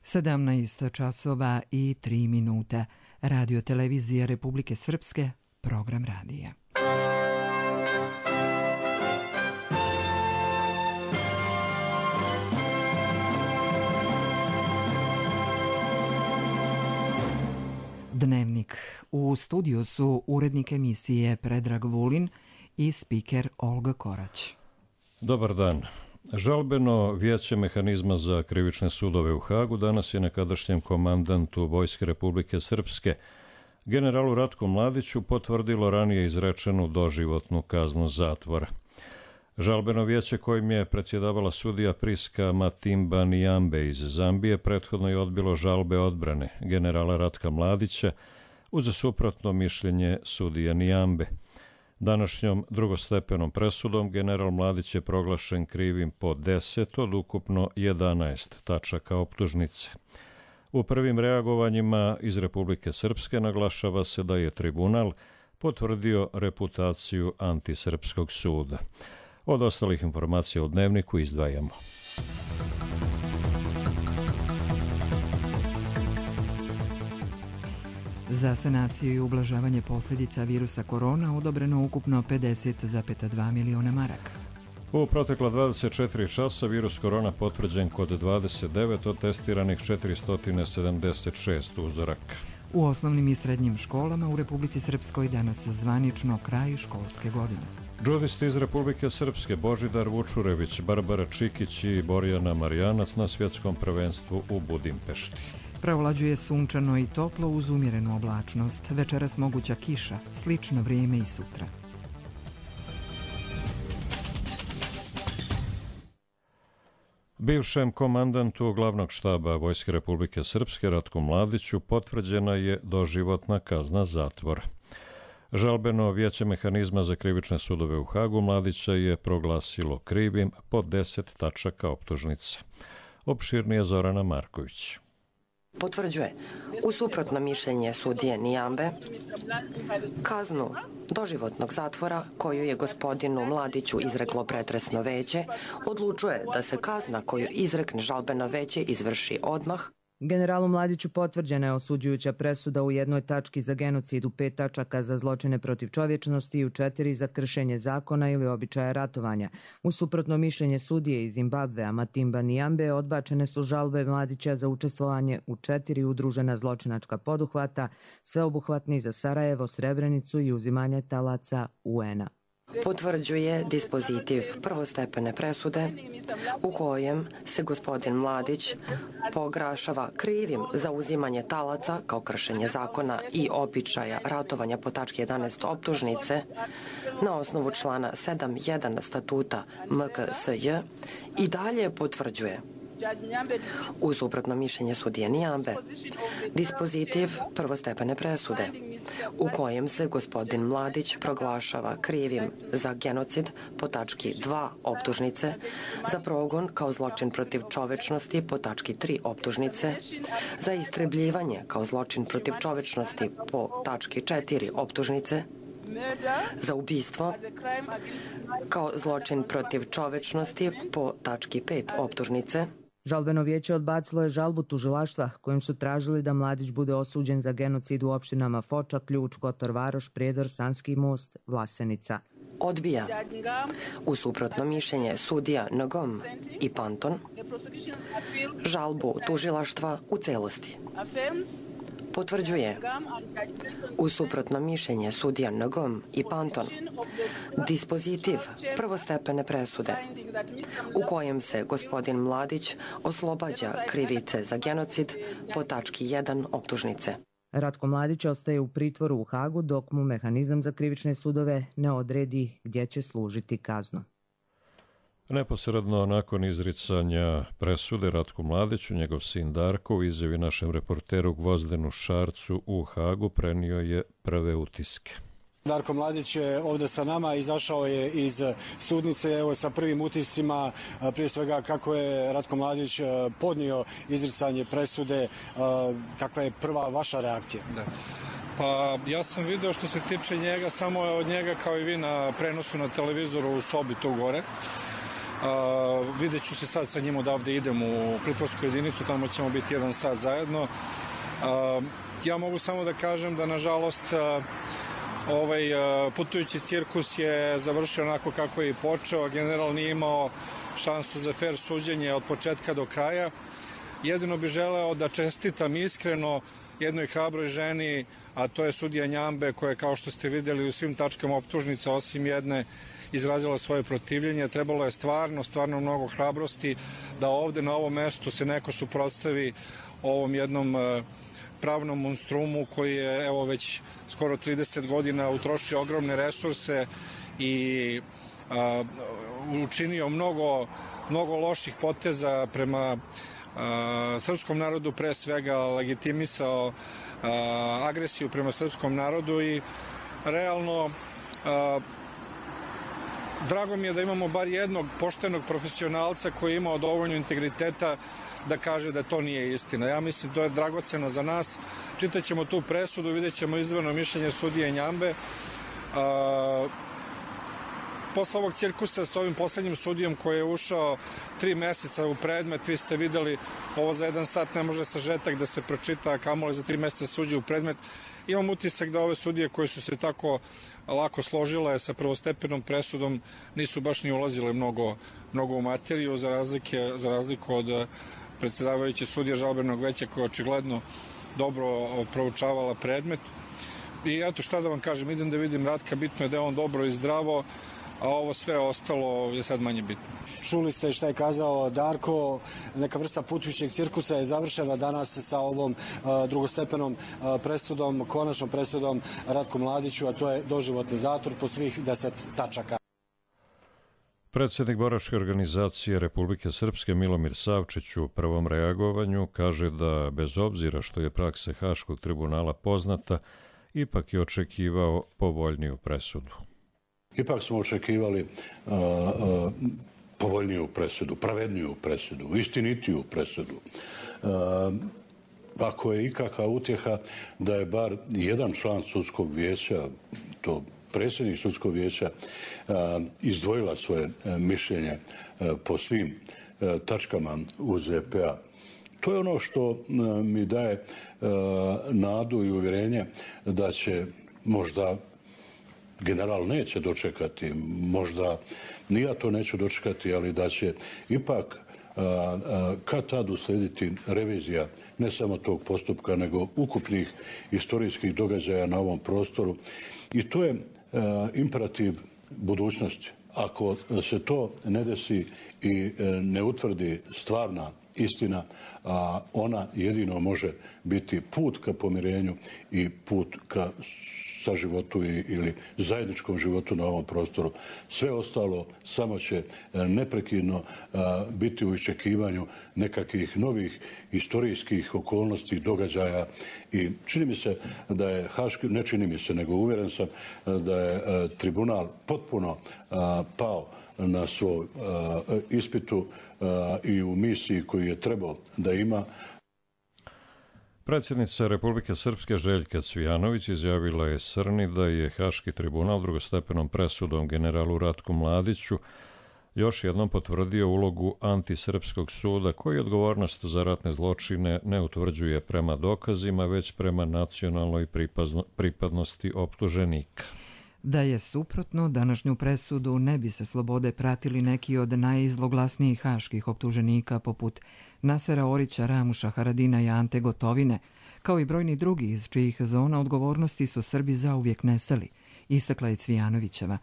17 časova i 3 minuta. Radio televizija Republike Srpske, program radija. Dnevnik. U studiju su urednik emisije Predrag Vulin i spiker Olga Korać. Dobar dan. Žalbeno vijeće mehanizma za krivične sudove u Hagu danas je nekadašnjem komandantu Vojske Republike Srpske, generalu Ratku Mladiću, potvrdilo ranije izrečenu doživotnu kaznu zatvora. Žalbeno vijeće kojim je predsjedavala sudija Priska Matimba Nijambe iz Zambije prethodno je odbilo žalbe odbrane generala Ratka Mladića uz suprotno mišljenje sudije Nijambe. Današnjom drugostepenom presudom general Mladić je proglašen krivim po 10 od ukupno 11 tačaka optužnice. U prvim reagovanjima iz Republike Srpske naglašava se da je tribunal potvrdio reputaciju antisrpskog suda. Od ostalih informacija u dnevniku izdvajamo. Za sanaciju i ublažavanje posljedica virusa korona odobreno ukupno 50,2 miliona maraka. U protekla 24 časa virus korona potvrđen kod 29 od testiranih 476 uzoraka. U osnovnim i srednjim školama u Republici Srpskoj danas zvanično kraj školske godine. Džudisti iz Republike Srpske Božidar Vučurević, Barbara Čikić i Borjana Marjanac na svjetskom prvenstvu u Budimpešti. Provlađuje sunčano i toplo uz umjerenu oblačnost. Večeras moguća kiša, slično vrijeme i sutra. Bivšem komandantu glavnog štaba Vojske Republike Srpske Ratku Mladiću potvrđena je doživotna kazna zatvora. Žalbeno vijeće mehanizma za krivične sudove u Hagu Mladića je proglasilo krivim po 10 tačaka optužnice. Opširnije Zorana Marković. Potvrđuje, u suprotno mišljenje sudije Nijambe, kaznu doživotnog zatvora koju je gospodinu Mladiću izreklo pretresno veće, odlučuje da se kazna koju izrekne žalbeno veće izvrši odmah. Generalu Mladiću potvrđena je osuđujuća presuda u 1 tački za genocid, u 5 tačaka za zločine protiv čovječnosti i u 4 za kršenje zakona ili običaja ratovanja. U suprotno mišljenje sudije iz Zimbabvea Matimba Nijambe odbačene su žalbe Mladića za učestvovanje u 4 udružena zločinačka poduhvata, sveobuhvatni za Sarajevo, Srebrenicu i uzimanje talaca UN-a. Potvrđuje dispozitiv prvostepene presude u kojem se gospodin Mladić proglašava krivim za uzimanje talaca kao kršenje zakona i običaja ratovanja po tački 11 optužnice na osnovu člana 7.1 statuta MKSJ i dalje potvrđuje u suprotno mišljenje sudije Nijambe dispozitiv prvostepene presude u kojem se gospodin Mladić proglašava krivim za genocid po tački 2 optužnice, za progon kao zločin protiv čovečnosti po tački 3 optužnice, za istrebljivanje kao zločin protiv čovečnosti po tački 4 optužnice, za ubistvo kao zločin protiv čovečnosti po tački 5 optužnice. Žalbeno vijeće odbacilo je žalbu tužilaštva kojim su tražili da Mladić bude osuđen za genocid u opštinama Foča, Ključ, Kotor Varoš, Prijedor, Sanski Most, Vlasenica. Odbija u suprotno mišljenje sudija Ngom i Panton žalbu tužilaštva u celosti. Potvrđuje u suprotno mišljenje sudija Ngom i Panton dispozitiv prvostepene presude u kojem se gospodin Mladić oslobađa krivice za genocid po tački 1 optužnice. Ratko Mladić ostaje u pritvoru u Hagu dok mu mehanizam za krivične sudove ne odredi gdje će služiti kaznu. Neposredno nakon izricanja presude Ratku Mladiću, njegov sin Darko u izjavi našem reporteru Gvozdenu Šarcu u Hagu prenio je prve utiske. Darko Mladić je ovdje sa nama, izašao je iz sudnice, evo sa prvim utiscima, prije svega kako je Ratko Mladić podnio izricanje presude, kakva je prva vaša reakcija? Da. Pa ja sam video što se tiče njega, samo od njega kao i vi na prenosu na televizoru u sobi tu gore. Vidjet ću se sad sa njim odavde idem u pritvorsku jedinicu, tamo ćemo biti 1 sat zajedno. Ja mogu samo da kažem da nažalost ovaj putujući cirkus je završio onako kako je i počeo. General nije imao šansu za fair suđenje od početka do kraja. Jedino bi želeo da čestitam iskreno jednoj hrabroj ženi, a to je sudija Njambe, koja je, kao što ste videli, u svim tačkama optužnica osim jedne izrazila svoje protivljenje. Trebalo je stvarno mnogo hrabrosti da ovde na ovom mestu se neko suprotstavi ovom jednom pravnom monstrumu koji je evo već skoro 30 godina utrošio ogromne resurse i učinio mnogo loših poteza prema srpskom narodu, pre svega legitimisao agresiju prema srpskom narodu i realno drago mi je da imamo bar jednog poštenog profesionalca koji je imao dovoljno integriteta da kaže da to nije istina. Ja mislim to je dragoceno za nas. Čitaćemo tu presudu, vidjet ćemo izdvojeno mišljenje sudije Njambe. Posle ovog cirkusa sa ovim poslednjim sudijom koji je ušao 3 meseca u predmet, vi ste videli, ovo za 1 sat ne može sažetak da se pročita, a kamoli za 3 meseca suđe u predmet. Imam utisak da ove sudije koje su se tako lako složile sa prvostepenom presudom nisu baš ni ulazile mnogo u materiju, za razliku od predsedavajuće sudije žalbenog veća koja je očigledno dobro proučavala predmet. I eto, šta da vam kažem, idem da vidim Ratka, bitno je da je on dobro i zdravo, a ovo sve ostalo je sad manje bitno. Čuli ste šta je kazao Darko, neka vrsta putujućeg cirkusa je završena danas sa ovom drugostepenom presudom, konačnom presudom Ratku Mladiću, a to je doživotni zatvor po svih 10 tačaka. Predsjednik boračke organizacije Republike Srpske Milomir Savčić u prvom reagovanju kaže da bez obzira što je praksa Haškog tribunala poznata, ipak je očekivao povoljniju presudu. Ipak smo očekivali povoljniju presudu, pravedniju presudu, istinitiju presudu. Ako je ikakva utjeha da je bar jedan član sudskog vijeća, to predsjednik sudskog vijeća, izdvojila svoje mišljenje po svim tačkama UZP-a. To je ono što mi daje nadu i uvjerenje da će možda general neće dočekati, možda ni ja to neću dočekati, ali da će ipak kad tad uslediti revizija ne samo tog postupka, nego ukupnih istorijskih događaja na ovom prostoru. I to je imperativ budućnosti. Ako se to ne desi i ne utvrdi stvarna istina, ona jedino može biti put ka pomirenju i put ka saživotu ili zajedničkom životu na ovom prostoru. Sve ostalo samo će neprekidno biti u iščekivanju nekakvih novih istorijskih okolnosti, događaja i čini mi se da je Haški, ne čini mi se, nego uvjeren sam da je tribunal potpuno pao na svoj ispitu i u misiji koju je trebao da ima. Predsjednica Republike Srpske Željka Cvijanović izjavila je Srni da je Haški tribunal drugostepenom presudom generalu Ratku Mladiću još jednom potvrdio ulogu antisrpskog suda koji odgovornost za ratne zločine ne utvrđuje prema dokazima, već prema nacionalnoj pripadnosti optuženika. Da je suprotno, današnju presudu ne bi se slobode pratili neki od najzloglasnijih haških optuženika poput Nasera Orića, Ramuša Haradina i Ante Gotovine, kao i brojni drugi iz čijih zona odgovornosti su Srbi zauvijek nestali, istakla je Cvijanovićeva.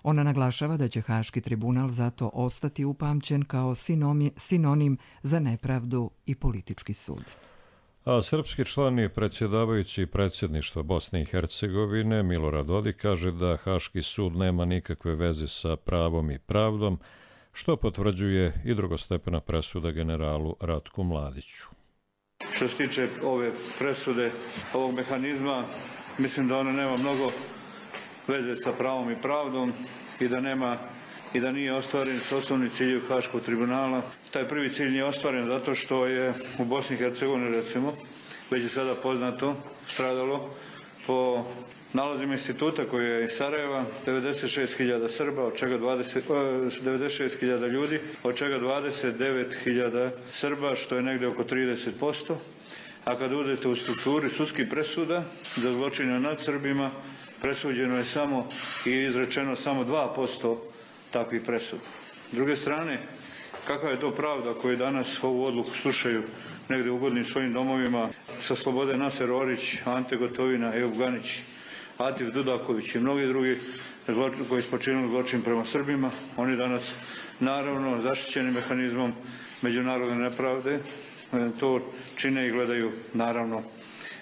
Ona naglašava da će Haški tribunal zato ostati upamćen kao sinonim za nepravdu i politički sud. A srpski član i predsjedavajući predsjedništva Bosne i Hercegovine Milorad Dodik kaže da Haški sud nema nikakve veze sa pravom i pravdom, što potvrđuje i drugostepena presuda generalu Ratku Mladiću. Što se tiče ove presude, ovog mehanizma, mislim da ona nema mnogo veze sa pravom i pravdom i da nije ostvaren s osnovni ciljev Haškog tribunala. Taj prvi cilj nije ostvaren zato što je u Bosni i Hercegovini, recimo, već je sada poznato, stradalo po nalazima instituta koji je iz Sarajeva, 96.000 Srba, od čega 96.000 ljudi, od čega 29.000 Srba, što je negdje oko 30%. A kad uzete u strukturi sudskih presuda za zločine nad Srbima, presuđeno je samo i izrečeno samo 2% takvih presuda. S druge strane, kakva je to pravda koji danas ovu odluku slušaju negdje ugodnim svojim domovima sa slobode Naser Orić, Ante Gotovina, Ejup Ganić, Atif Dudaković i mnogi drugi koji su počinili zločin prema Srbima. Oni danas, naravno, zaštićeni mehanizmom međunarodne nepravde, to čine i gledaju, naravno,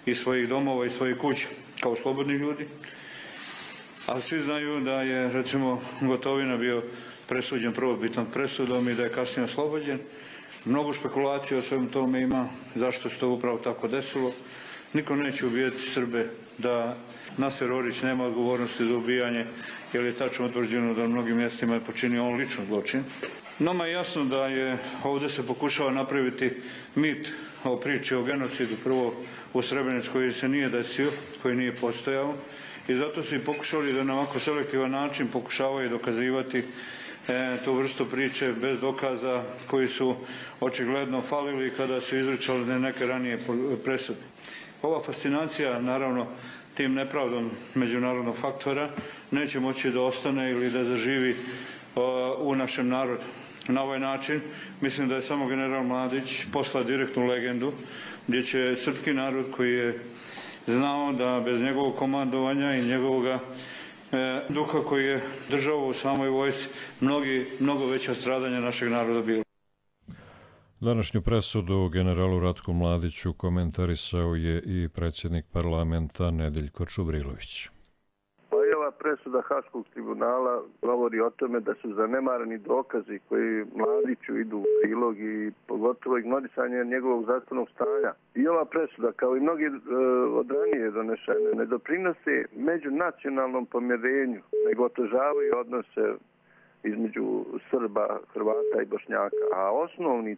iz svojih domova i svojih kuća, kao slobodni ljudi. A svi znaju da je, recimo, Gotovina bio presuđen prvobitnom presudom i da je kasnije oslobođen. Mnogo špekulacija o svemu tome ima, zašto se to upravo tako desilo. Niko neće ubijati Srbe da Naser Orić nema odgovornosti za ubijanje, jer je tačno utvrđeno da na mnogim mjestima je počinio on lično zločin. Nama je jasno da je ovdje se pokušava napraviti mit o priči o genocidu, prvo u Srebrenici koji se nije desio, koji nije postojao, i zato su i pokušali da na ovako selektivan način pokušavaju dokazivati tu vrstu priče bez dokaza koji su očigledno falili kada su izričali neke ranije presude. Ova fascinacija, naravno, tim nepravdom međunarodnog faktora neće moći da ostane ili da zaživi u našem narodu. Na ovaj način mislim da je samo general Mladić poslao direktnu legendu gdje će srpski narod koji je znao da bez njegovog komandovanja i njegovog duha koji je držao u samoj vojsci mnogo veća stradanja našeg naroda bilo. Današnju presudu generalu Ratku Mladiću komentarisao je i predsjednik parlamenta Nedeljko Čubrilović. Ova presuda Haškog tribunala govori o tome da su zanemareni dokazi koji Mladiću idu u prilog i pogotovo ignorisanje njegovog zdravstvenog stanja. I ova presuda, kao i mnogi od ranije donešene, ne doprinose međunacionalnom pomirenju, nego otežavaju odnose između Srba, Hrvata i Bošnjaka. A osnovni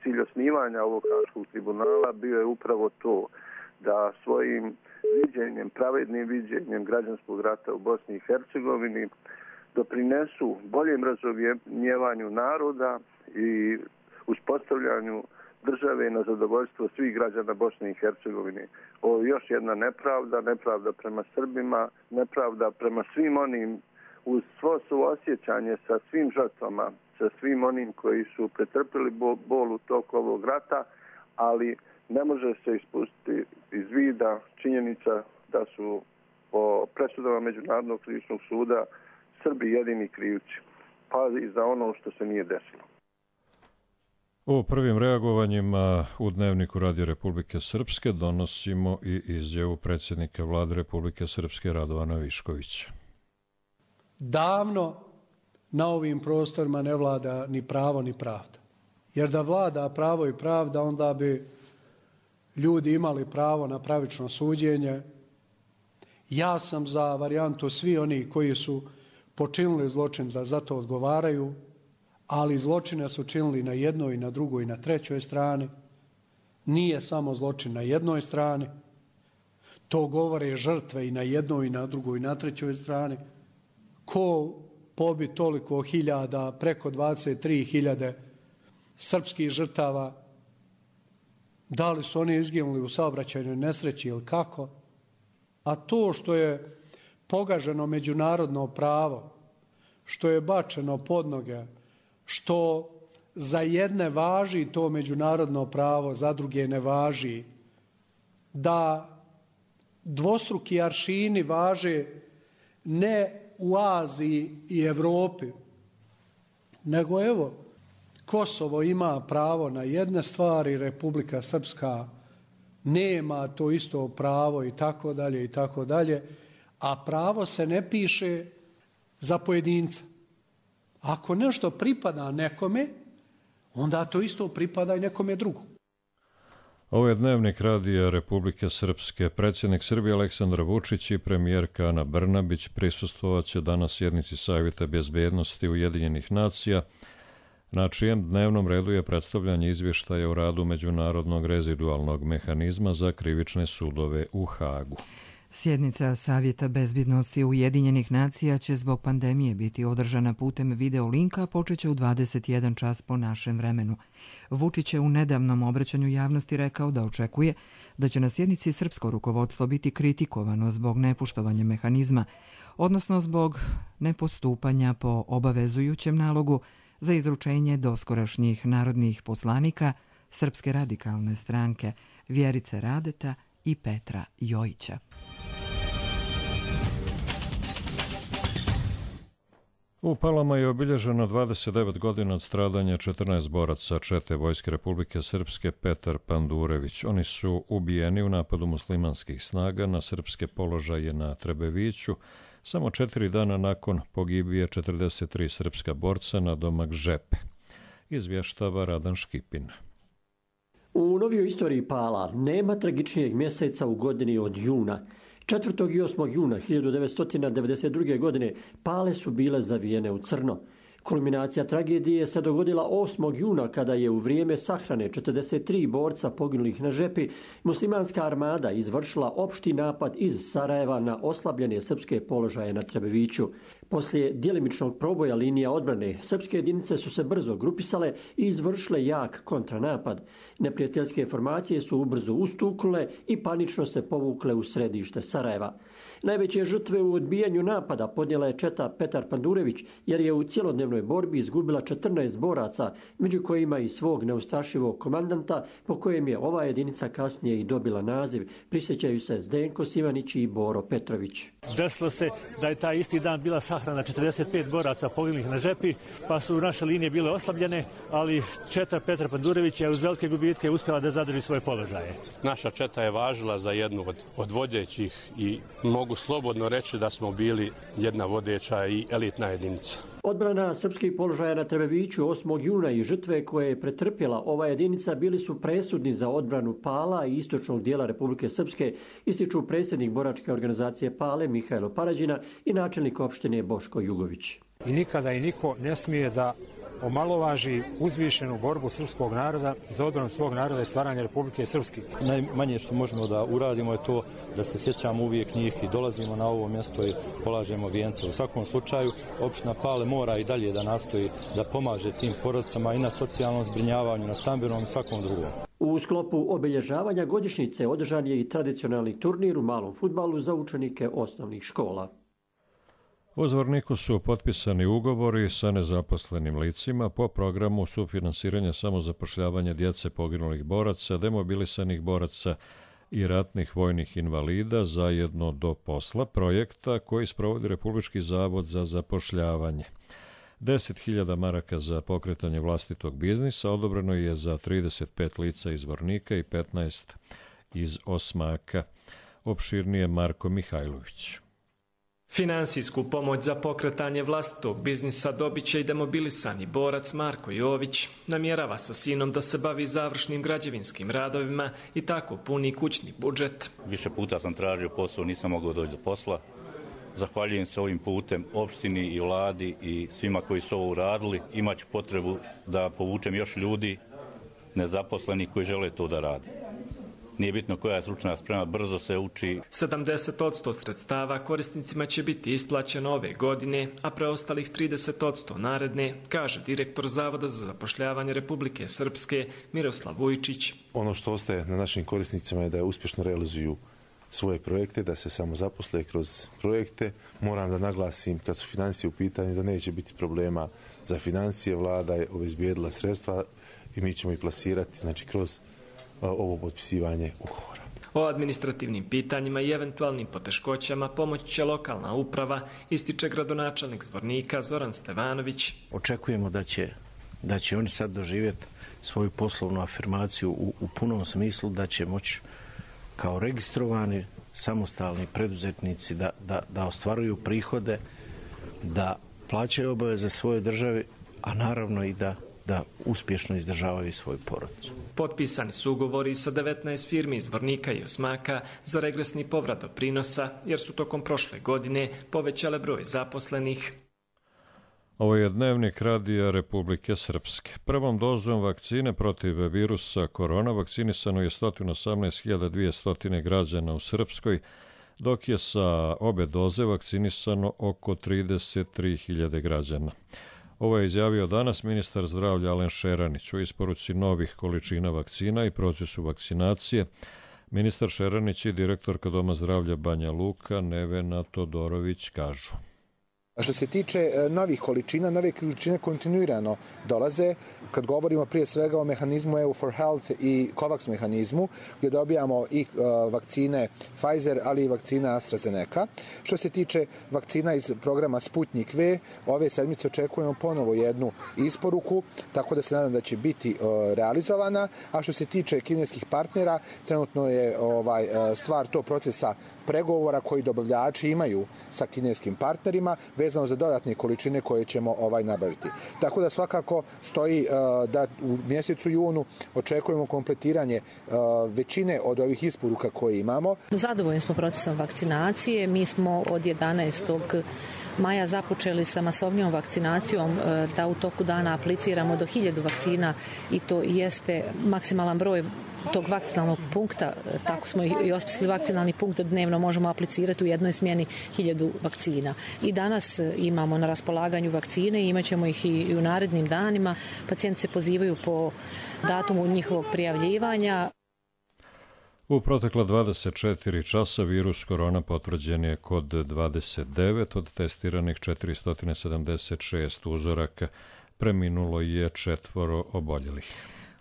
cilj osnivanja ovog Haškog tribunala bio je upravo to, da svojim viđenjem, pravednim viđenjem građanskog rata u Bosni i Hercegovini doprinesu boljem razumijevanju naroda i uspostavljanju države na zadovoljstvo svih građana Bosne i Hercegovine. Ovo je još jedna nepravda prema Srbima, nepravda prema svim onim, uz svo suosjećanje sa svim žrtvama, sa svim onim koji su pretrpili bol u toku ovog rata, ali ne može se ispustiti iz vida činjenica da su po presudama Međunarodnog krivičnog suda Srbi jedini krivci, pa i za ono što se nije desilo. O prvim reagovanjima u Dnevniku Radio Republike Srpske donosimo i izjavu predsjednika Vlade Republike Srpske Radovana Viškovića. Davno na ovim prostorima ne vlada ni pravo ni pravda. Jer da vlada pravo i pravda, onda bi ljudi imali pravo na pravično suđenje. Ja sam za varijantu svi oni koji su počinili zločin da za to odgovaraju, ali zločine su činili na jednoj, na drugoj i na trećoj strani. Nije samo zločin na jednoj strani. To govore žrtve i na jednoj, i na drugoj, i na trećoj strani. Ko pobi toliko hiljada, preko 23.000 srpskih žrtava, da li su oni izginuli u saobraćajnoj nesreći ili kako? A to što je pogaženo međunarodno pravo, što je bačeno pod noge, što za jedne važi to međunarodno pravo, za druge ne važi, da dvostruki aršini važe ne u Aziji i Evropi, nego evo, Kosovo ima pravo na jedne stvari, Republika Srpska nema to isto pravo i tako dalje i tako dalje, a pravo se ne piše za pojedinca. Ako nešto pripada nekome, onda to isto pripada i nekome drugom. Ovo je Dnevnik Radija Republike Srpske. Predsjednik Srbije Aleksandar Vučić i premijerka Ana Brnabić prisustvovat će danas sjednici Savjeta bezbednosti Ujedinjenih nacija, na čijem dnevnom redu je predstavljanje izvještaja o radu Međunarodnog rezidualnog mehanizma za krivične sudove u Hagu. Sjednica Savjeta bezbjednosti Ujedinjenih nacija će zbog pandemije biti održana putem video linka, počeće u 21 čas po našem vremenu. Vučić je u nedavnom obraćanju javnosti rekao da očekuje da će na sjednici srpsko rukovodstvo biti kritikovano zbog nepoštovanja mehanizma, odnosno zbog nepostupanja po obavezujućem nalogu za izručenje doskorašnjih narodnih poslanika Srpske radikalne stranke Vjerice Radeta i Petra Jojića. U Palama je obilježeno 29 godina od stradanja 14 boraca čete Vojske Republike Srpske Petar Pandurević. Oni su ubijeni u napadu muslimanskih snaga na srpske položaje na Trebeviću, samo 4 dana nakon pogibije 43 srpska borca na domak Žepe. Izvještava Radan Škipin. U novijoj istoriji Pala nema tragičnijeg mjeseca u godini od juna. 4. i 8. juna 1992. godine Pale su bile zavijene u crno. Kulminacija tragedije se dogodila 8. juna kada je u vrijeme sahrane 43 borca poginulih na Žepi muslimanska armada izvršila opšti napad iz Sarajeva na oslabljene srpske položaje na Trebeviću. Poslije djelimičnog proboja linija odbrane, srpske jedinice su se brzo grupisale i izvršile jak kontranapad. Neprijateljske formacije su ubrzo ustuknule i panično se povukle u središte Sarajeva. Najveće žrtve u odbijanju napada podnijela je četa Petar Pandurević, jer je u cjelodnevnoj borbi izgubila 14 boraca, među kojima i svog neustrašivog komandanta, po kojem je ova jedinica kasnije i dobila naziv. Prisjećaju se Zdenko Simanić i Boro Petrović. Desilo se da je taj isti dan bila sahrana 45 boraca poginulih na Žepi, pa su naše linije bile oslabljene, ali četa Petar Pandurević je uz velike gubitke uspjela da zadrži svoje položaje. Naša četa je važila za jednu od vodećih i mogu slobodno reći da smo bili jedna vodeća i elitna jedinica. Odbrana srpskih položaja na Trebeviću 8. juna i žrtve koje je pretrpjela ova jedinica bili su presudni za odbranu Pala i istočnog dijela Republike Srpske, ističu predsjednik boračke organizacije Pale Mihajlo Parađina i načelnik opštine Boško Jugović. I nikada i niko ne smije da omalovaži uzvišenu borbu srpskog naroda za odbranu svog naroda i stvaranje Republike Srpske. Najmanje što možemo da uradimo je to da se sjećamo uvijek njih i dolazimo na ovo mjesto i polažemo vijence. U svakom slučaju opština Pale mora i dalje da nastoji da pomaže tim porodicama i na socijalnom zbrinjavanju, na stambenom i svakom drugom. U sklopu obilježavanja godišnjice održan je i tradicionalni turnir u malom fudbalu za učenike osnovnih škola. U Zvorniku su potpisani ugovori sa nezaposlenim licima po programu sufinansiranja samozapošljavanja djece poginulih boraca, demobilisanih boraca i ratnih vojnih invalida zajedno do posla, projekta koji sprovodi Republički zavod za zapošljavanje. 10.000 maraka za pokretanje vlastitog biznisa odobreno je za 35 lica iz Zvornika i 15 iz Osmaka. Opširnije Marko Mihajlović. Finansijsku pomoć za pokretanje vlastitog biznisa dobit će i demobilisani borac Marko Jović. Namjerava sa sinom da se bavi završnim građevinskim radovima i tako puni kućni budžet. Više puta sam tražio posao, nisam mogao doći do posla. Zahvaljujem se ovim putem opštini i vladi i svima koji su ovo uradili. Imaću potrebu da povučem još ljudi nezaposlenih koji žele to da rade. Nije bitno koja je stručna sprema, brzo se uči. 70% sredstava korisnicima će biti isplaćeno ove godine, a preostalih 30% naredne, kaže direktor Zavoda za zapošljavanje Republike Srpske Miroslav Vujčić. Ono što ostaje na našim korisnicima je da uspješno realizuju svoje projekte, da se samo zaposle kroz projekte. Moram da naglasim kad su financije u pitanju da neće biti problema za financije. Vlada je obezbijedila sredstva i mi ćemo ih plasirati, znači kroz ovo potpisivanje ugovora. O administrativnim pitanjima i eventualnim poteškoćama pomoći će lokalna uprava, ističe gradonačelnik Zvornika Zoran Stevanović. Očekujemo da će oni sad doživjeti svoju poslovnu afirmaciju u punom smislu, da će moći kao registrovani samostalni preduzetnici da ostvaruju prihode, da plaćaju obaveze svoje državi, a naravno i da uspješno izdržavaju svoju porodicu. Potpisani su ugovori sa 19 firmi iz Zvornika i Osmaka za regresni povrat doprinosa, jer su tokom prošle godine povećale broj zaposlenih. Ovo je dnevnik radija Republike Srpske. Prvom dozom vakcine protiv virusa korona vakcinisano je 118.200 građana u Srpskoj, dok je sa obe doze vakcinisano oko 33.000 građana. Ovo je izjavio danas ministar zdravlja Alen Šeranić u isporuci novih količina vakcina i procesu vakcinacije. Ministar Šeranić i direktorka Doma zdravlja Banja Luka Nevena Todorović kažu. Što se tiče novih količina, nove količine kontinuirano dolaze. Kad govorimo prije svega o mehanizmu EU for Health i COVAX mehanizmu, gdje dobijamo i vakcine Pfizer, ali i vakcina AstraZeneca. Što se tiče vakcina iz programa Sputnik V, ove sedmice očekujemo ponovo jednu isporuku, tako da se nadam da će biti realizovana. A što se tiče kineskih partnera, trenutno je stvar to procesa pregovora koji dobavljači imaju sa kineskim partnerima vezano za dodatne količine koje ćemo nabaviti. Tako da svakako stoji da u mjesecu junu očekujemo kompletiranje većine od ovih isporuka koje imamo. Zadovoljni smo procesom vakcinacije. Mi smo od 11. maja započeli sa masovnijom vakcinacijom da u toku dana apliciramo do 1000 vakcina i to jeste maksimalan broj tog vakcinalnog punkta, tako smo i osmislili vakcinalni punkt da dnevno možemo aplicirati u jednoj smjeni 1000 vakcina. I danas imamo na raspolaganju vakcine i imat ćemo ih i u narednim danima. Pacijenti se pozivaju po datumu njihovog prijavljivanja. U protekla 24 časa virus korona potvrđen je kod 29 od testiranih 476 uzoraka. Preminulo je 4 oboljelih.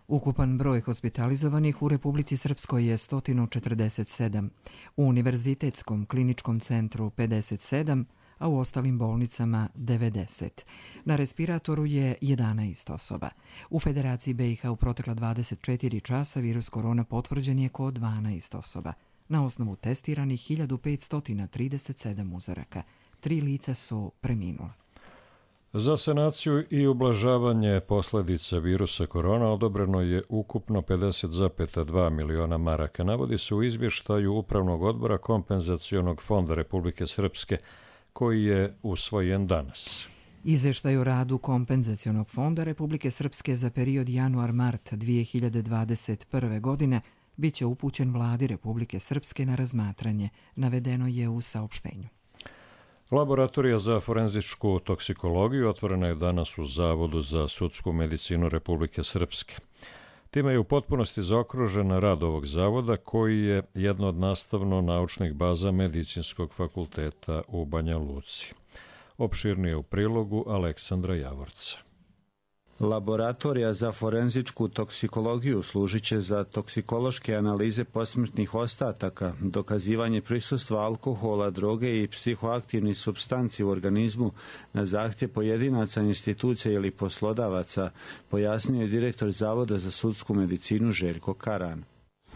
Ukupan broj hospitalizovanih u Republici Srpskoj je 147, u Univerzitetskom kliničkom centru 57, a u ostalim bolnicama 90. Na respiratoru je 11 osoba. U Federaciji BiH u protekla 24 časa virus korona potvrđen je kod 12 osoba. Na osnovu testiranih 1537 uzoraka. 3 lica su preminula. Za sanaciju i ublažavanje posljedica virusa korona odobreno je ukupno 50,2 miliona maraka. Navodi se u izvještaju Upravnog odbora Kompenzacionog fonda Republike Srpske, koji je usvojen danas. Izvještaj o radu Kompenzacionog fonda Republike Srpske za period januar-mart 2021. godine bit će upućen vladi Republike Srpske na razmatranje, navedeno je u saopštenju. Laboratorija za forenzičku toksikologiju otvorena je danas u Zavodu za sudsku medicinu Republike Srpske. Time je u potpunosti zaokružen rad ovog zavoda, koji je jedna od nastavno-naučnih baza Medicinskog fakulteta u Banja Luci. Opširnije u prilogu Aleksandra Javorca. Laboratorija za forenzičku toksikologiju služit će za toksikološke analize posmrtnih ostataka, dokazivanje prisustva alkohola, droge i psihoaktivnih supstanci u organizmu na zahtjev pojedinaca, institucija ili poslodavaca, pojasnio je direktor Zavoda za sudsku medicinu Željko Karan.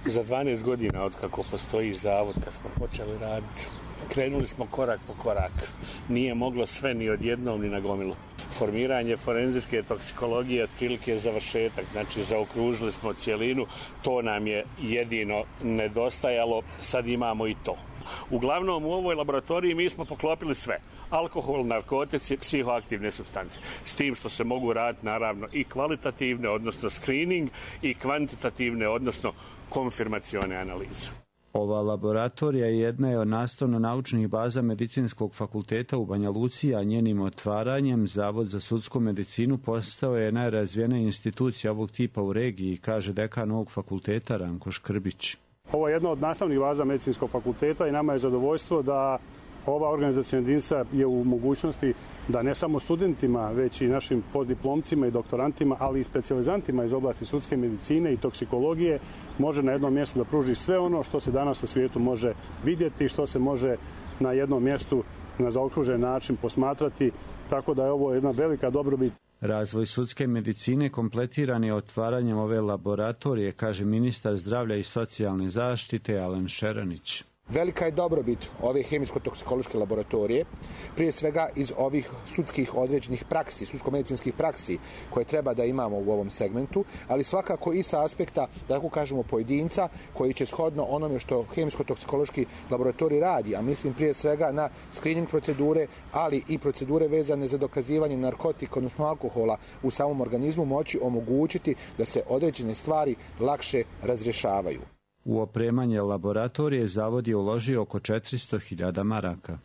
Za 12 godina od kako postoji zavod, kad smo počeli raditi, krenuli smo korak po korak. Nije moglo sve ni odjednom ni na gomilu. Formiranje forenzičke toksikologije otprilike je završetak, znači zaokružili smo cijelinu, to nam je jedino nedostajalo, sad imamo i to. Uglavnom u ovoj laboratoriji mi smo poklopili sve. Alkohol, narkotici, psihoaktivne supstance. S tim što se mogu raditi naravno i kvalitativne, odnosno screening, i kvantitativne, odnosno konfirmacione analize. Ova laboratorija jedna je od nastavno-naučnih baza Medicinskog fakulteta u Banja Luci, a njenim otvaranjem Zavod za sudsku medicinu postao je najrazvijenija institucija ovog tipa u regiji, kaže dekan ovog fakulteta Ranko Škrbić. Ovo je jedna od nastavnih baza Medicinskog fakulteta i nama je zadovoljstvo da ova organizacijna jedinica je u mogućnosti da ne samo studentima, već i našim postdiplomcima i doktorantima, ali i specijalizantima iz oblasti sudske medicine i toksikologije može na jednom mjestu da pruži sve ono što se danas u svijetu može vidjeti, što se može na jednom mjestu na zaokružen način posmatrati, tako da je ovo jedna velika dobrobit. Razvoj sudske medicine kompletiran je otvaranjem ove laboratorije, kaže ministar zdravlja i socijalne zaštite Alen Šeranić. Velika je dobrobit ove hemijsko-toksikološke laboratorije, prije svega iz ovih sudskih određenih praksi, sudsko-medicinskih praksi koje treba da imamo u ovom segmentu, ali svakako i sa aspekta, da tako kažemo, pojedinca koji će shodno onome što hemijsko-toksikološki laboratorij radi, a mislim prije svega na screening procedure, ali i procedure vezane za dokazivanje narkotika, odnosno alkohola u samom organizmu, moći omogućiti da se određene stvari lakše razrješavaju. U opremanje laboratorije zavod je uložio oko 400.000 maraka.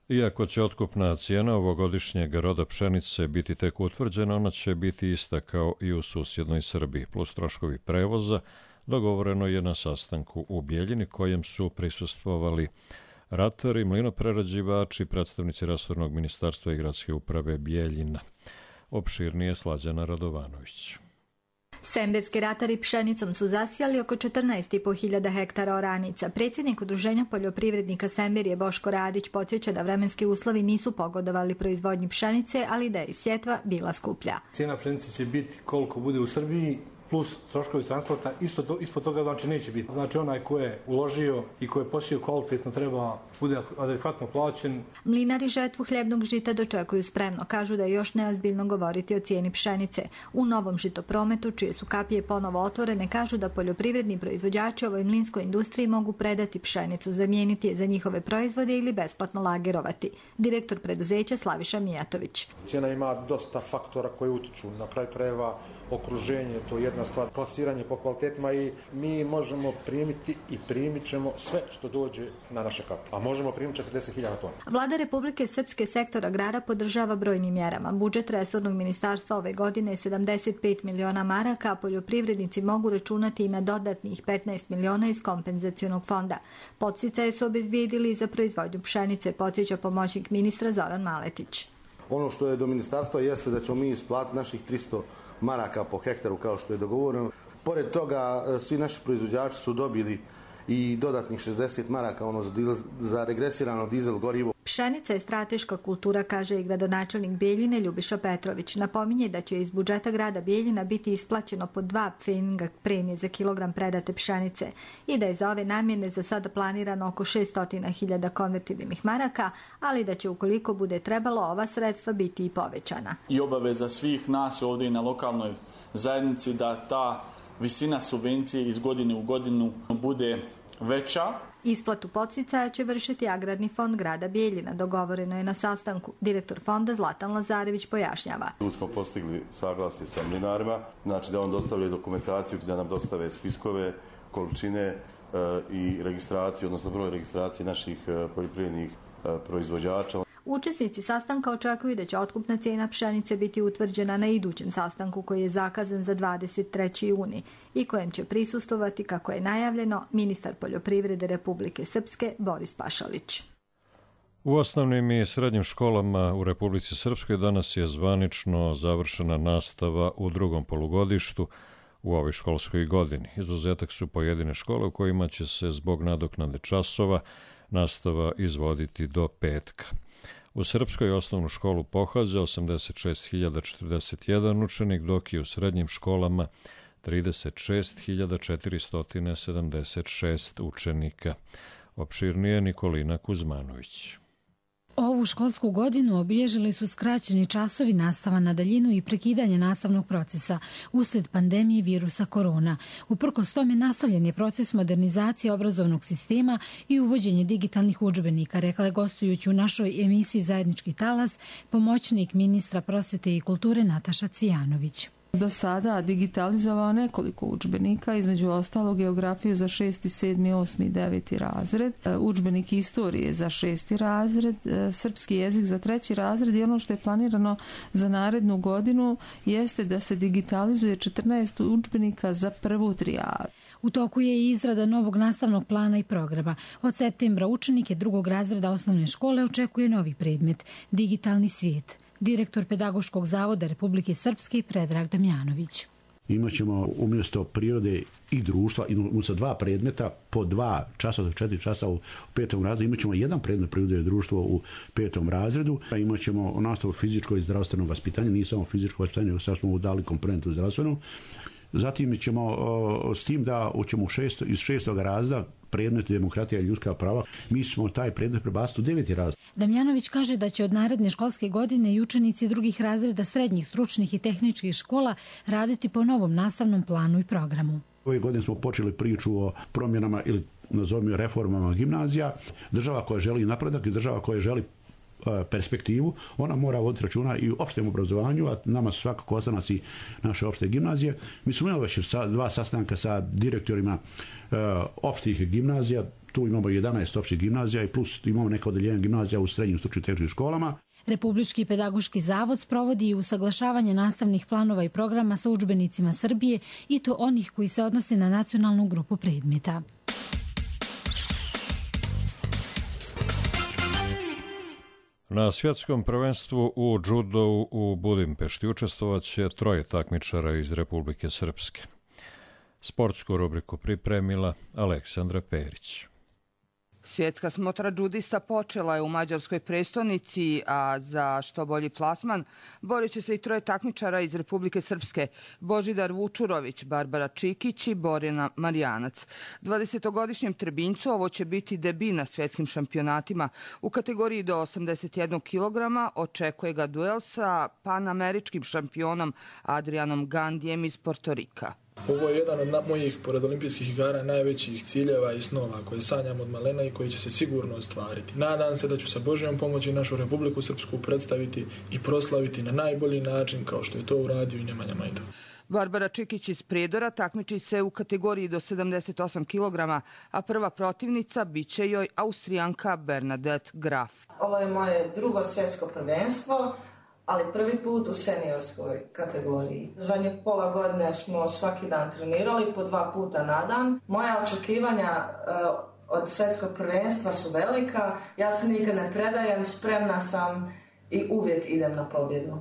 Iako će otkupna cijena ovogodišnjeg roda pšenice biti tek utvrđena, ona će biti ista kao i u susjednoj Srbiji, plus troškovi prevoza. Dogovoreno je na sastanku u Bijeljini kojem su prisustvovali ratari, mlinoprerađivači, predstavnici resornog ministarstva i gradske uprave Bijeljina. Opširnije Slađana Radovanović. Semberski ratari pšenicom su zasijali oko 14.500 hektara oranica. Predsjednik Udruženja poljoprivrednika Semberije Boško Radić podsjeća da vremenski uslovi nisu pogodovali proizvodnji pšenice, ali da je sjetva bila skuplja. Cijena pšenice će biti koliko bude u Srbiji, plus troškovi transporta, ispod toga znači neće biti. Znači onaj ko je uložio i ko je posio kvalitetno treba bude adekvatno plaćen. Mlinari žetvu hljebnog žita dočekuju spremno. Kažu da je još neozbiljno govoriti o cijeni pšenice. U novom žitoprometu, čije su kapije ponovo otvorene, kažu da poljoprivredni proizvođači ovoj mlinskoj industriji mogu predati pšenicu, zamijeniti je za njihove proizvode ili besplatno lagerovati. Direktor preduzeća Slaviša Mijatović. Cijena ima dosta faktora koji utiču. Na kraju krajeva okruženje, to je jedna stvar, plasiranje po kvalitetima i mi možemo primiti i primit ćemo sve što dođe na naše kape. A možemo primiti 40.000 tona. Vlada Republike Srpske sektor agrara podržava brojnim mjerama. Budžet resornog ministarstva ove godine je 75 miliona maraka, a poljoprivrednici mogu računati i na dodatnih 15 miliona iz kompenzacionog fonda. Podsticaje su obezbijedili za proizvodnju pšenice, podsjeća pomoćnik ministra Zoran Maletić. Ono što je do ministarstva jeste da ćemo mi isplatiti naših 300 maraka po hektaru kao što je dogovoreno. Pored toga, svi naši proizvođači su dobili i dodatnih 60 maraka za regresirano dizel gorivo. Pšenica je strateška kultura, kaže i gradonačelnik Bijeljine Ljubiša Petrović. Napominje da će iz budžeta grada Bijeljina biti isplaćeno po 2 pfeninga premije za kilogram predate pšenice i da je za ove namjene za sada planirano oko 600.000 konvertibilnih maraka, ali da će ukoliko bude trebalo ova sredstva biti i povećana. I obaveza svih nas ovdje i na lokalnoj zajednici da ta visina subvencije iz godine u godinu bude veća. Isplatu podsticaja će vršiti Agrarni fond grada Bijeljina. Dogovoreno je na sastanku. Direktor fonda Zlatan Lazarević pojašnjava. Tu smo postigli saglasje sa mlinarima, znači da on dostavlja dokumentaciju, da nam dostave spiskove, količine i registraciju, odnosno broj registracije naših poljoprivrednih proizvođača. Učesnici sastanka očekuju da će otkupna cijena pšenice biti utvrđena na idućem sastanku koji je zakazan za 23. juni i kojem će prisustvovati, kako je najavljeno, ministar poljoprivrede Republike Srpske Boris Pašalić. U osnovnim i srednjim školama u Republici Srpskoj danas je zvanično završena nastava u drugom polugodištu u ovoj školskoj godini. Izuzetak su pojedine škole u kojima će se zbog nadoknade časova nastava izvoditi do petka. U Srpskoj osnovnu školu pohađa 86.041 učenik, dok je u srednjim školama 36.476 učenika. Opširnije Nikolina Kuzmanović. Ovu školsku godinu obilježili su skraćeni časovi, nastava na daljinu i prekidanje nastavnog procesa usled pandemije virusa korona. Uprkos tome nastavljen je proces modernizacije obrazovnog sistema i uvođenje digitalnih udžbenika, rekla je gostujući u našoj emisiji Zajednički talas pomoćnik ministra prosvete i kulture Nataša Cvijanović. Do sada digitalizovao nekoliko udžbenika, između ostalog geografiju za 6., 7., 8. i 9. razred, udžbenik istorije za 6. razred, srpski jezik za 3. razred i ono što je planirano za narednu godinu jeste da se digitalizuje 14 udžbenika za prvu trijadu. U toku je i izrada novog nastavnog plana i programa. Od septembra učenike 2. razreda osnovne škole očekuje novi predmet – digitalni svijet. Direktor Pedagoškog zavoda Republike Srpske Predrag Damjanović. Imaćemo umjesto prirode i društva, umjesto 2 predmeta po 2 časa do 4 časa u 5. razredu, imaćemo jedan predmet prirode i društvo u 5. razredu. Imaćemo nastavu fizičko i zdravstveno vaspitanje, nije samo fizičko vaspitanje, nego sad smo dali komponentu zdravstvenu. Zatim ćemo s tim da ćemo iz 6. razreda predmet demokratija i ljudska prava, mi smo taj predmet prebaciti u 9. razred. Damjanović kaže da će od naredne školske godine i učenici drugih razreda srednjih, stručnih i tehničkih škola raditi po novom nastavnom planu i programu. Ove godine smo počeli priču o promjenama ili nazovimo reformama gimnazija. Država koja želi napredak i država koja želi perspektivu, ona mora voditi računa i u opštem obrazovanju, a nama su svakako ostanaci naše opšte gimnazije. Mi smo imali već 2 sastanka sa direktorima opštih gimnazija, tu imamo 11 opštih gimnazija i plus imamo neka odeljenja gimnazija u srednjim stručnim tehničkim školama. Republički pedagoški zavod sprovodi i usaglašavanje nastavnih planova i programa sa udžbenicima Srbije i to onih koji se odnose na nacionalnu grupu predmeta. Na svjetskom prvenstvu u džudou u Budimpešti učestvovaće 3 takmičara iz Republike Srpske. Sportsku rubriku pripremila Aleksandra Perić. Svjetska smotra džudista počela je u mađarskoj prestonici, a za što bolji plasman borit će se i 3 takmičara iz Republike Srpske: Božidar Vučurović, Barbara Čikić i Borjana Marjanac. 20-godišnjem Trebincu ovo će biti debi na svjetskim šampionatima. U kategoriji do 81 kg očekuje ga duel sa panameričkim šampionom Adrianom Gandijem iz Portorika. Ovo je jedan od mojih, pored olimpijskih igara, najvećih ciljeva i snova koje sanjam od malena i koji će se sigurno ostvariti. Nadam se da ću sa Božjom pomoći našu Republiku Srpsku predstaviti i proslaviti na najbolji način kao što je to uradio i Nemanja Majdov. Barbara Čikić iz Prijedora takmiči se u kategoriji do 78 kg, a prva protivnica biće joj Austrijanka Bernadette Graf. Ovo je moje drugo svjetsko prvenstvo, ali prvi put u seniorskoj kategoriji. Zadnje pola godine smo svaki dan trenirali po 2 puta na dan. Moja očekivanja od svjetskog prvenstva su velika. Ja se nikad ne predajem, spremna sam i uvijek idem na pobjedu.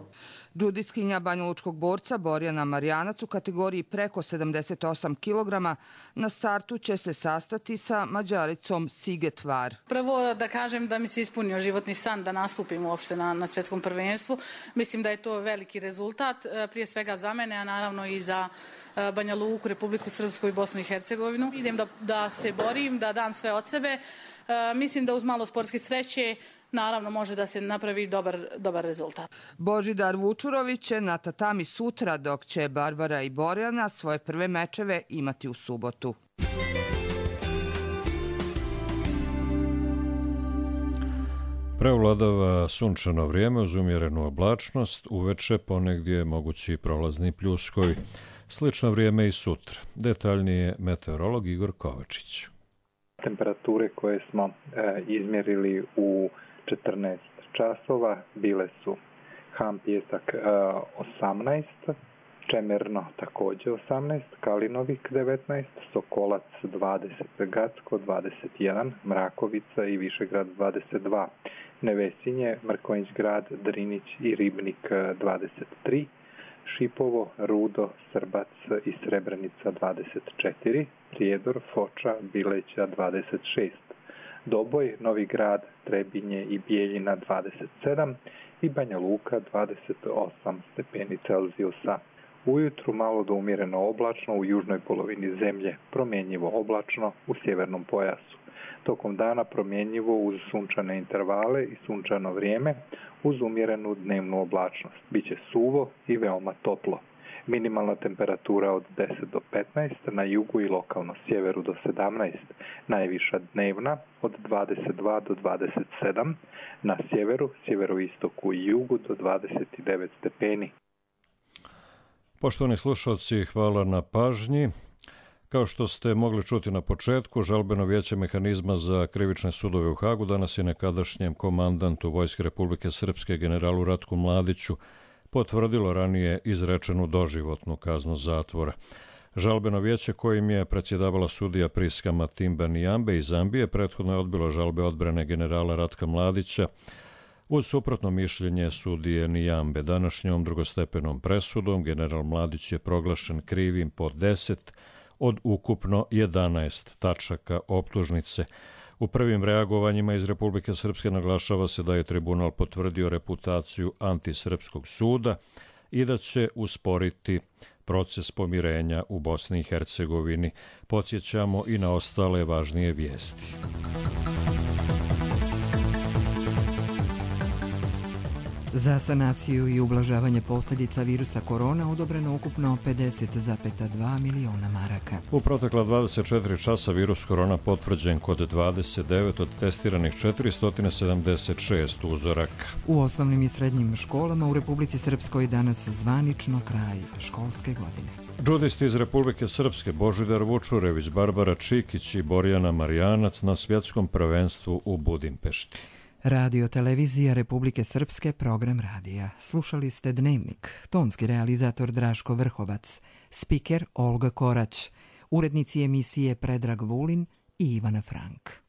Džudistkinja banjalučkog borca Borjana Marjanac u kategoriji preko 78 kg na startu će se sastati sa Mađaricom Siget Var. Prvo da kažem da mi se ispunio životni san da nastupim uopšte na svjetskom prvenstvu. Mislim da je to veliki rezultat, prije svega za mene, a naravno i za Banja Luku, Republiku Srpsku i Bosnu i Hercegovinu. Idem da se borim, da dam sve od sebe. Mislim da uz malo sportske sreće naravno može da se napravi dobar rezultat. Božidar Vučurović će na tatami sutra, dok će Barbara i Borjana svoje prve mečeve imati u subotu. Preovladava sunčano vrijeme uz umjerenu oblačnost, uveče ponegdje mogući prolazni pljuskovi. Slično vrijeme i sutra. Detaljnije meteorolog Igor Kovačić. Temperature koje smo izmjerili u 14 časova bile su Ham Pijesak 18, Čemerno također 18, Kalinovik 19, Sokolac 20, Gacko 21, Mrakovica i Višegrad 22, Nevesinje, Mrkonjić grad, Drinić i Ribnik 23, Šipovo, Rudo, Srbac i Srebrenica 24, Prijedor, Foča, Bileća 26, Doboj, Novi Grad, Trebinje i Bijeljina 27 i Banja Luka 28 stepeni Celzijusa. Ujutru malo do umjereno oblačno u južnoj polovini zemlje, promjenjivo oblačno u sjevernom pojasu. Tokom dana promjenjivo uz sunčane intervale i sunčano vrijeme uz umjerenu dnevnu oblačnost. Biće suvo i veoma toplo. Minimalna temperatura od 10 do 15, na jugu i lokalno sjeveru do 17, najviša dnevna od 22 do 27, na sjeveru, sjeveroistoku i jugu do 29 stepeni. Poštovani slušalci, hvala na pažnji. Kao što ste mogli čuti na početku, žalbeno vijeće mehanizma za krivične sudove u Hagu danas je nekadašnjem komandantu Vojske Republike Srpske generalu Ratku Mladiću potvrdilo ranije izrečenu doživotnu kaznu zatvora. Žalbeno vijeće kojim je predsjedavala sudija Priska Matimba Nijambe iz Zambije prethodno je odbilo žalbe odbrane generala Ratka Mladića uz suprotno mišljenje sudije Nijambe. Današnjom drugostepenom presudom general Mladić je proglašen krivim po 10 od ukupno 11 tačaka optužnice. U prvim reagovanjima iz Republike Srpske naglašava se da je tribunal potvrdio reputaciju antisrpskog suda i da će usporiti proces pomirenja u Bosni i Hercegovini. Podsjećamo i na ostale važnije vijesti. Za sanaciju i ublažavanje posljedica virusa korona odobreno ukupno 50,2 miliona maraka. U protekla 24 časa virus korona potvrđen kod 29 od testiranih 476 uzoraka. U osnovnim i srednjim školama u Republici Srpskoj danas zvanično kraj školske godine. Džudisti iz Republike Srpske Božidar Vučurević, Barbara Čikić i Borjana Marijanac na svjetskom prvenstvu u Budimpešti. Radio televizija Republike Srpske, program radija. Slušali ste Dnevnik, tonski realizator Draško Vrhovac, spiker Olga Korać, urednici emisije Predrag Vulin i Ivana Frank.